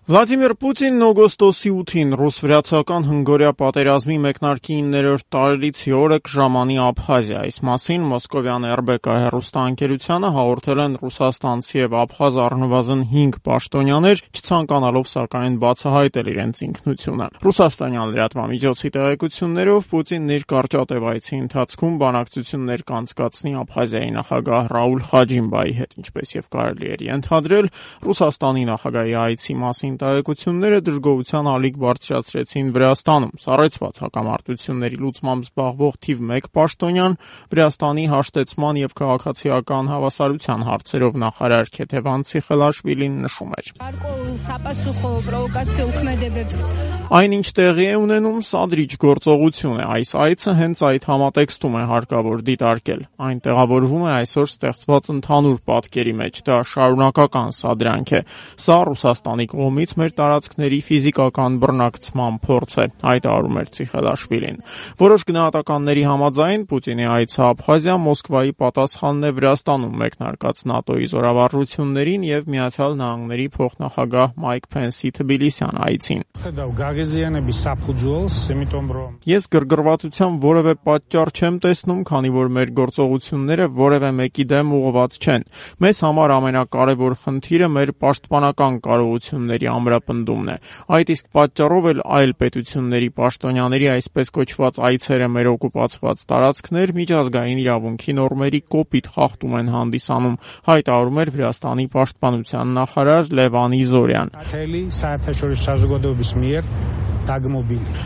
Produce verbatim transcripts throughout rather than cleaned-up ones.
Վլադիմիր Պուտինն օգոստոսի ութին ռուս-վրացական հնգօրյա պատերազմի մեկնարկի իններորդ տարելիցի օրը կժամանի Աբխազիա։ Այս մասին Մոսկովյան էր բե կա հեռուստաընկերությանը հաղորդել են ռուսաստանցի եւ աբխազ առնվազն հինգ պաշտոնյաներ, չցանկանալով սակայն բացահայտել իրենց ինքնությունը։ Ռուսաստանյան լրատվամիջոցի տեղեկություններով Պուտինն իր կարճատև այցի ընթացքում բանակցություններ կանցկացնի Աբխազիայի նախագահ Ռաուլ Խաջիմբայի հետ, ինչպես եւ կարելի էր ենթադրել, Ռուսաստանի նախագահի այցի մասին տեղեկությունները դժգոհության ալիք բարձրացրեցին Վրաստանում։ Սառեցված հակամարտությունների լուծմամբ զբաղվող թիվ մեկ պաշտոնյան Վրաստանի հաշտեցման եւ քաղաքացիական հավասարության հարցերով նախարար Քեթևան Ցիխելաշվիլին նշում էր. Այն, ինչ տեղի է ունենում, սադրիչ գործողություն է։ Այս այցը հենց այդ համատեքստում է հարկավոր դիտարկել։ Այն տեղավորվում է այսօր ստեղծված ընդհանուր պատկերի մեջ։ Դա շարունակական սադրանք է։ Սա Ռուսաստանի կողմից մեր տարածքների ֆիզիկական բռնակցման փորձ է, հայտարարում էր Ցիխելաշվիլին։ Որոշ գնահատականների համաձայն Պուտինի այցը Աբխազիա Մոսկվայի պատասխանն է Վրաստանում մեկնարկած ՆԱՏՕ-ի զորավարժություններին եւ Միացյալ Նահանգների փոխնախագահ Մայք Փենսի Թբիլիսյան այցին։ Ես գրգռվածության որևէ պատճառ չեմ տեսնում, քանի որ մեր գործողությունները որևէ մեկի դեմ ուղղված չեն։ Մեզ համար ամենակարևոր խնդիրը մեր պաշտպանական կարողությունների ամրապնդումն է։ Այդ իսկ պատճառով էլ այլ պետությունների պաշտոնյաների այսպես կոչված այցերը մեր օկուպացված տարածքներ միջազգային իրավունքի նորմերի կոպիտ խախտում են հանդիսանում, հայտարարում էր Վրաստանի պաշտպանության նախարար Լևան Իզորյան։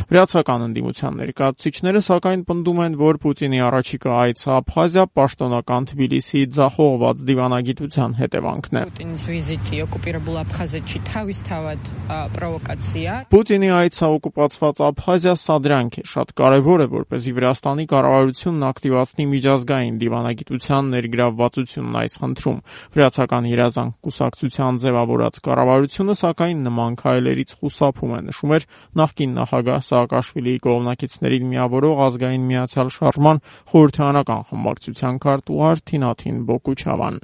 Վրացական ընդդիմության ներկայացուցիչները սակայն պնդում են, որ Պուտինի առաջիկա այցը Աբխազիա պաշտոնական Թբիլիսիի ձախողված դիվանագիտության հետևանքն է։ Պուտինի այցը օկուպացված Աբխազիա սադրանք է, շատ կարևոր է, որպեսզի Վրաստանի կառավարությունն ակտիվացնի միջազգային դիվանագիտության ներգրավվածությունն այս խնդրում։ Վրացական երազանք կուսակցության ձևավորած կառավարությունը սակայն նման քայլերից խուսափում է, նշում էր նախկին նախագահ Սաակաշվիլիի կողմնակիցներին միավորող ազգային միացյալ շարժման խորհրդարանական խմբակցության քարտուղար Թինաթին Բոկուչավան։